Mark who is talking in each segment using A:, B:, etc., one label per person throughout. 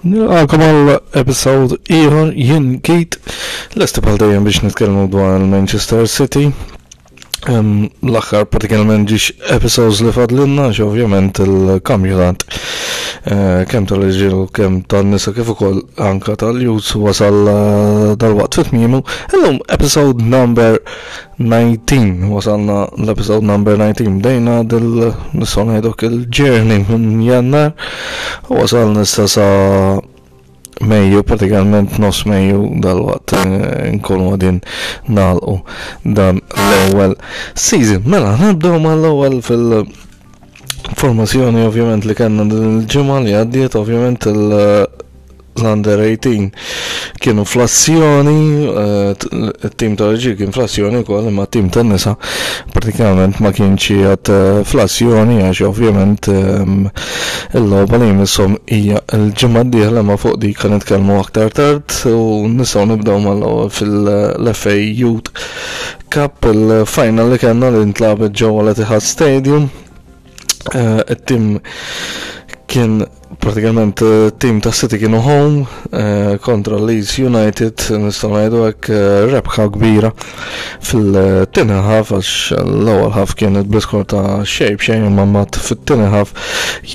A: Nilqakom għal episode ieħor jien Keith lesti bħal dejjem biex nitkellmu dwar il-Manchester City. L-aħħar pratikament ġiex episodes li fadlinna għax ovvjament il-kampjonat eh, kemm tal-irġiel u kemm tan-nisa kif ukoll anka tal-youth wasal eh, dal-waqt fit-tmiemu. Illum episode number 19 wasalna l-episode number 19 bdejna dil nistgħu ngħiduk il-journey minn Jannar u wasalna issa sa Mejju, pratikament nofs Mejju dal-waqt eh, nkunu għadin nagħlqu dan l-ewwel season. Mela, nibdew mal-ewwel fil- formazzjoni ovvjament li kellna din il-ġimgħa li għaddiet ovvjament il- l-under 18 kienu fl-azzjoni, eh, it-tim tal-ġil kien fl-azzjoni wkoll imma t-tim tan-nisa pratikament ma kienx qiegħed eh, fl-azzjoni għax ovvjament ehm, il-logħba li jmisshom hija l-ġimgħa d-dieħla ma fuq dik kan nitkellmu aktar tard u nistgħu nibdew mal-ewwel fil-FA Youth Cup il-final li kellna li ntlagħbet ġewwa l-Etihad Stadium. Eh, it-tim kien pratikament eh, tim ta' City kienu home eh, kontra Leeds United nistgħu ngħidu hekk rebħa kbira fil-tieni ħaf għax l-ewwel ħaf kienet bl-iskor ta' xejn b'xejn imma mbagħad fit-tieni ħaf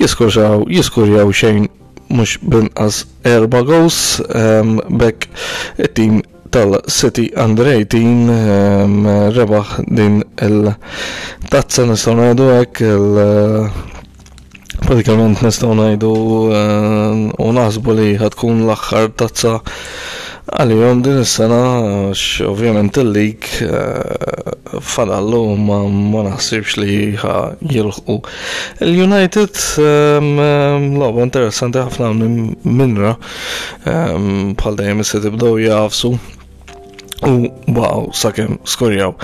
A: jiskurjaw jiskurjaw xejn mhux binqas erba' goals ehm, bekk it-tim tal-City Under 18 ehm, rebaħ din il-tazza nistgħu ngħidu hekk il pratikament nistgħu ngħidu ehm, u naħsbu li ħatkun l-aħħar tazza għalihom din is-sena għax ovvjament il-lig eh, fadallu ma, ma naħsibx li ħa jilħqu. Il-United ehm, ehm, logħba interessanti ħafna minn minra ehm, bħal dejjem is-City bdew jafsu u baqgħu sakemm skorjaw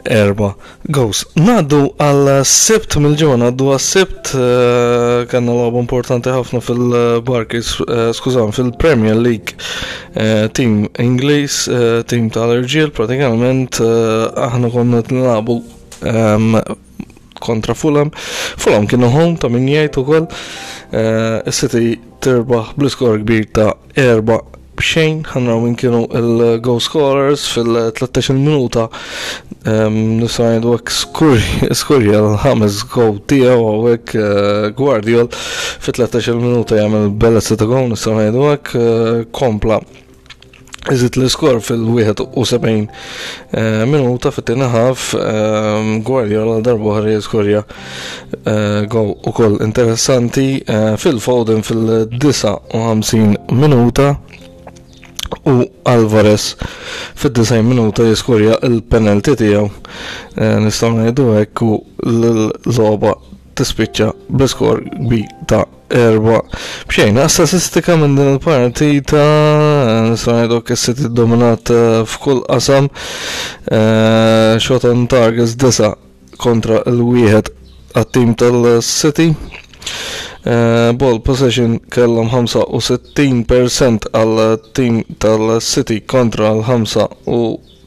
A: erba' goals. Ngħaddu għal sibt mill-ġimgħa ngħaddu għas sibt eh, kellna logħba importanti ħafna fil-Barclays, eh, skużan, fil-Premier League eh, team Ingliż, team tal-irġiel pratikament aħna konna nilagħbu ehm, kontra Fulham. Fulham kienu home ta' min jgħid ukoll. Is-City tirbaħ bl-iskor kbir ta' 4 b'xejn, ħanraw min kienu il-goal scorers fil-13 minuta nistgħu ngħidu hekk skurja l-ħames goal tiegħu hawnhekk eh, Guardiol fit-13 minuta jagħmel bellezza ta' goal nistgħu ngħidu hekk eh, kompla Iżid l-iskor fil-71 eh, minuta fit-tieni ħaf Guardiola darba oħra jiskorja eh, gow ukoll interessanti eh, Phil Foden fil-59 minuta u Alvarez fid-90 minuta jiskorja il-penalty tiegħu nistgħu ngħidu hekk u l-logħba tispiċċa bl-iskor bi ta' 4-0. Statistika minn din il-partita nistgħu ngħidu City dominat eh, f'kull qasam eh, shot on targets disa kontra l-wieħed għat-tim tal-City. Eh, ball possession kellhom 65% għal tim tal-City kontra l-5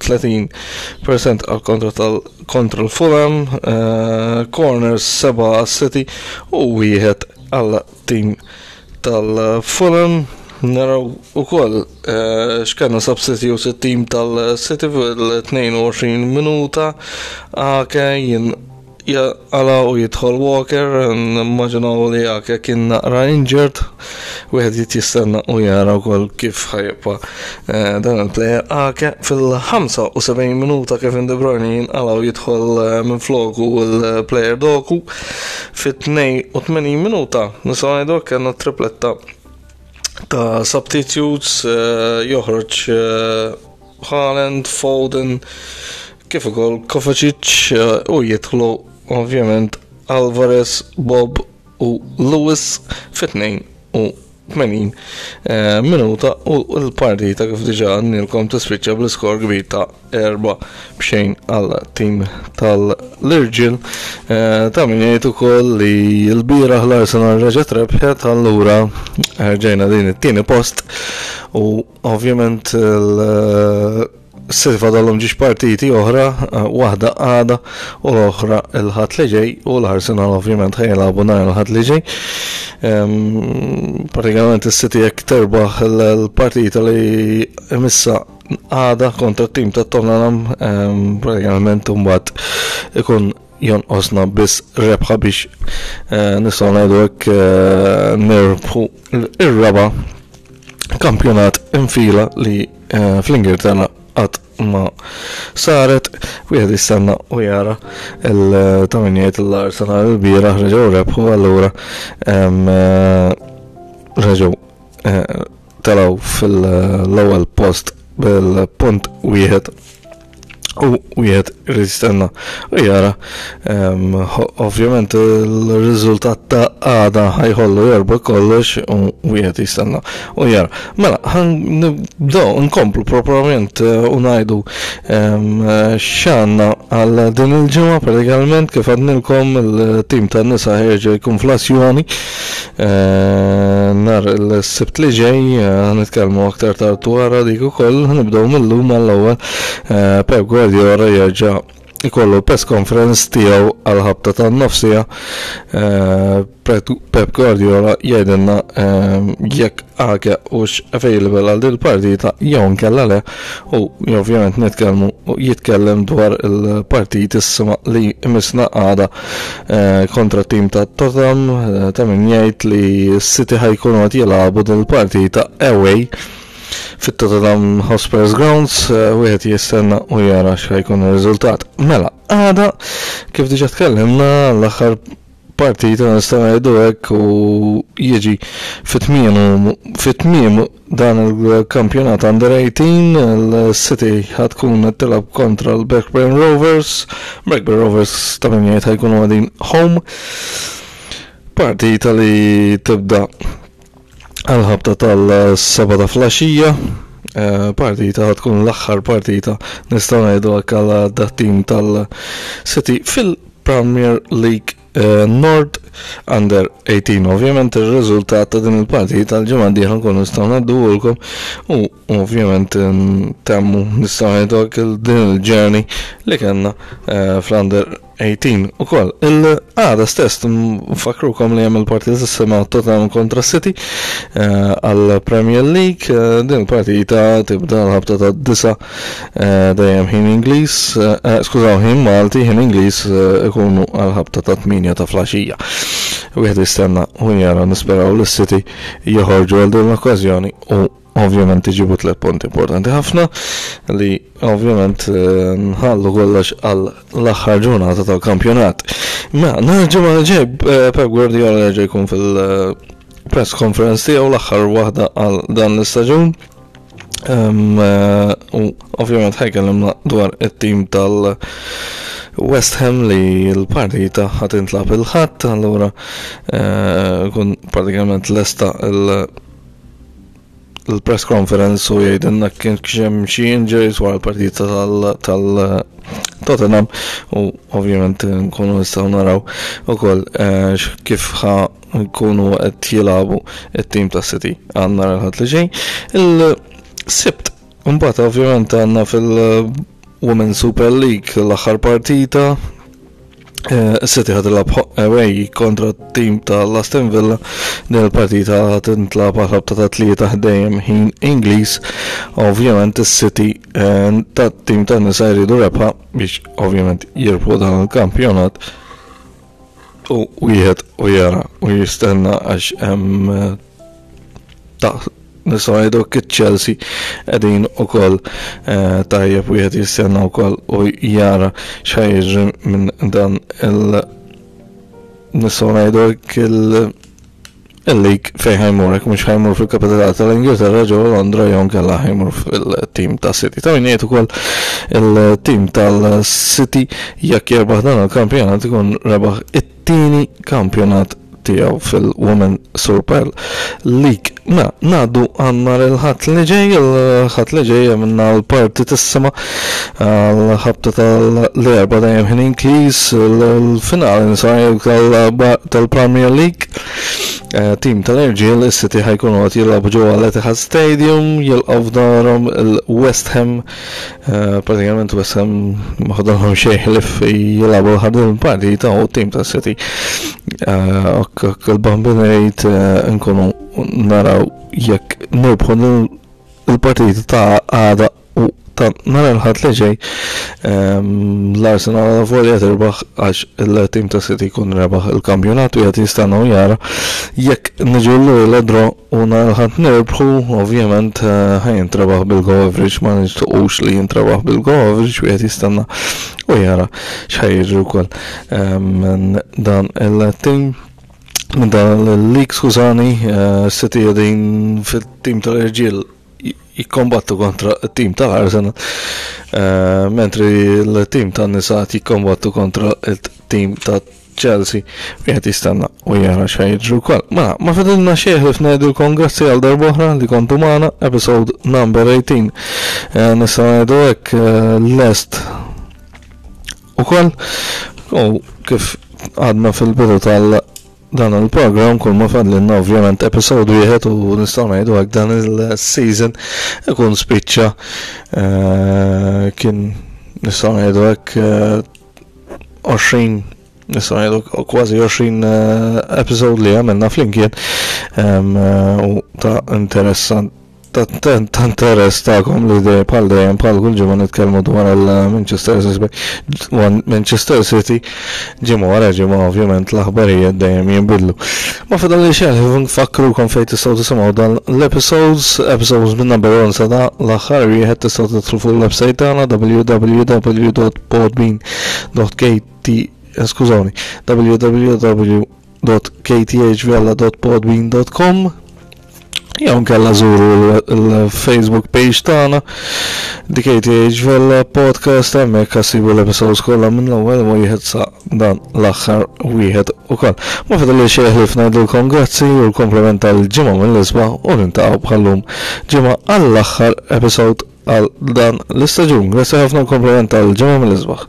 A: 30% għal kontra tal kontra l-Fulham, eh, corners 7 għal City u wieħed għal tim tal-Fulham. Naraw ukoll eh, x'kellna substitutes it-tim tal-City fil-22 minuta Ake jien Jaqala u jidħol Walker, nimmaġinaw li Ake kien naqra injured, wieħed jrid jistenna u jara wkoll kif ħajibqa' eh, dan il-player Ake fil-75 minuta Kevin De Bruyne jinqala u jidħol eh, minn floku l-player Doku fit-82 minuta nistgħu ngħidu kellna tripletta ta' substitutes eh, joħroġ Haaland, Foden, kif ukoll Kovacic eh, u jidħlu ovvjament Alvarez, Bob u Lewis fit-82 eh, minuta u l-partita kif diġà għandilkom tispiċċa bl-iskor kbir ta' 4-0 għal tim tal-Irġiel. Eh, ta' min jgħid ukoll li l-bieraħ l-Arsenal reġgħet rebħet allura ġejna din it-tieni post u Ovvjament City fadalhom ġiex partiti oħra, waħda għada u l-oħra il-Ħadd li ġej u l-Arsenal ovvjament ħa jilagħbu nhar il-Ħadd li ġej. Pratikament is-City jekk terbaħ l-partita li imissa għada kontra t-tim ta' Tottenham, pratikament imbagħad ikun jonqosna biss rebħa biex eh, nistgħu ngħidu hekk eh, nirbħu ir-raba kampjonat infila li eh, fl-Ingilterra qatt ma saret wieħed jistenna u jara il-taminijiet l-Arsenal il-bieraħ reġgħu rebħu allura reġgħu telgħu fil-ewwel post bil-punt wieħed u wieħed irid jistenna u jara. Ovvjament il-riżultat ta' għada ħajħollu jorba kollox u wieħed jistenna u jara. Mela, ħan nibdew nkomplu proprjament eh, u ngħidu x'għandna għal din il-ġimgħa pratikament kif għadnilkom il-tim tan-nisa ħerġa jkun fl-azzjoni eh, nhar il-Sibt li ġej eh, nitkellmu aktar tard wara dik ukoll nibdew mill-lum għall-ewwel eh, Pep Guardiola jerġa' ikollu press conference tiegħu għal ħabta tan-nofsija. Pep Guardiola jgħidilna jekk Ake hux available għal din il-partita jew inkella le u ovvjament nitkellmu u jitkellem dwar il-partitissima li jmissna għada eh, kontra tim ta' Tottenham eh, ta' min jgħid li City ħajkunu qed jilagħbu din il-partita away fit-Tottenham Hotspurs Grounds eh, wieħed jistenna u jara x'ħajkun ir-riżultat. Mela, għada kif diġà tkellimna l-aħħar partita nistgħu ngħidu hekk u jiġi fit-tmiem dan il-kampjonat Under 18 il-City ħa tkun qed tilgħab kontra l-Blackburn Rovers. Blackburn Rovers ta' min jgħid ħajkunu qegħdin home. Partita li tibda għal-ħabta tal-seba ta' flaxija. Eh, partita tkun l-aħħar partita nistgħu ngħidu hekk għal dat-tim tal-City fil-Premier League eh, Nord Under 18. Ovvjament ir-riżultat ta' din il-partita l-ġimgħa d-dieħla nkunu nistgħu ngħadduhulkom u ovvjament temmu nistgħu ngħidu hekk din il-journey li kellna eh, fl-Under 18 ukoll. Il-għada stess nfakrukom li hemm il-partita s-sema Tottenham kontra City eh, għal Premier League. Eh, din il-partita tibda l-ħabta ta' disa eh, dejjem ħin Ingliż, skużaw ħin Malti, ħin Ingliż ikunu għal ħabta ta' 8 ta' flaxija. Wieħed jistenna u jara nisperaw li City joħorġu għal din l-okkażjoni u Ovvjament iġibu tlet punti importanti ħafna li ovvjament eh, nħallu kollox għal l-aħħar ġurnata tal-kampjonat. Ma nhar ġimgħa li ġej eh, Pep Guardiola jerġa' jkun fil-press conference tiegħu l-aħħar waħda għal dan l-istaġun. Eh, u ovvjament ħajkellimna dwar it-tim tal- West Ham li l-partita ħat intlab il-ħadd, allura kun pratikament lesta il- l-press conference u jgħidilna kien hemm xi injuries wara l-partita tal-Tottenham u ovvjament nkunu nistgħu naraw ukoll eh, kif ħa nkunu qed jilagħbu it-tim ta' City għandna l-ħadd li ġej. Il-Sibt mbagħad ovvjament għandna fil-Women's Super League l-aħħar partita Eh, City ħad tilab away kontra t-tim tal-Aston Villa din il-partita tintlab għal ħabta ta' tlieta ħdejjem ħin Ingliż. Ovvjament is-City eh, tat-tim tan-nisa jridu rebħa biex ovvjament jirbħu dan il-kampjonat u wieħed u jara u jistenna għax hemm eh, ta' nistgħu ngħidu Chelsea qegħdin ukoll eh, tajjeb wieħed jistenna wkoll u jara x'ħajġri minn dan il nistgħu ngħidu il il-lig fejn ħajmur, hekk mhux ħajmur fil-kapitali tal-Ingilterra ġewwa Londra jew nkella ħajmur fil-tim ta' City. Ta' min jgħid ukoll il-tim tal-City jekk jerbaħ dan il-kampjonat ikun rebaħ it-tieni kampjonat. tiegħu fil-Women Super League. Mela, ngħaddu għal nhar il-Ħadd li ġej, il-Ħadd li ġej għamilna l-partitissima għal-ħabta tal-erba dejjem ħin Ingliż, il-finali nsajr tal-Premier League. Eh, tim tal-irġiel is-City ħajkunu qed jilagħbu ġewwa l-Etihad Stadium, jilqgħu f'darhom il-West Ham Eh, pratikament West Ham ma ħadalhom xejn ħlif jilagħbu l-ħadin partita u tim ta' City. Eh, ok, il-bambin rejt eh, nkunu naraw jekk nirbħu il-partita ta' għada u ta' nhar il-ħadd li ġej ehm, l-Arsenal volja tirbaħ għax il-tim ta' City jkun rebaħ il-kampjonat u qed jistennew jara jekk niġu l draw U nhar il-Ħadd nirbħu, ovvjament ħa jintrebaħ bil-go average, ma nixtiequx li jintrebaħ bil-go average, wieħed jistenna u jara x'ħa jiġri wkoll minn dan il-team minn dan il-league skużani, City qegħdin fit-tim tal-irġiel jikkombattu kontra t-tim tal-Arsenal, mentri l-tim tan-nisa jikkombattu kontra t-tim ta' Chelsea wieħed jistenna u jara x'ħa jiġri wkoll. Mela, ma fadilna xejn ħlief ngħidilkom grazzi għal darb'oħra li kontu magħna episode number 18. Eh, nistgħu ngħidu hekk eh, lest ukoll u kif għadna fil-bidu tal dan il-program kull ma fadlilna ovvjament episode wieħed u nistgħu ngħidu hekk dan il-season ikun spiċċa eh, kien nistgħu ngħidu hekk 20 nistgħu ngħidu kważi 20 eh, episode li għamilna flimkien eh, u ta' interessant ta' interess tagħkom li dej bħal dejjem bħal kull ġimgħa nitkellmu dwar il-Manchester City Manchester City ġimgħa wara ġimgħa ovvjament l-aħbarijiet dejjem jinbidlu. Ma fadal li xejn nfakkrukom fejn tistgħu tisimgħu dan l-episodes, episodes minn number 1 sa da l-aħħar wieħed tistgħu tidħlu fuq il-website tagħna www.podbean.kt eh, skużawni www.kthvella.podbean.com jew nkella żuru l-Facebook page tagħna DKTH Vella Podcast hemmhekk ħassibu l-episodes kollha minn l-ewwel wieħed sa dan l-aħħar wieħed ukoll. Ma fadalli xejn ħlief ngħidilkom grazzi u l-komplement tal-ġimgħa mill-isbaħ u niltaqgħu bħallum ġimgħa għall-aħħar episode għal dan l-istaġun. Grazzi ħafna u komplement tal-ġimgħa mill-isbaħ.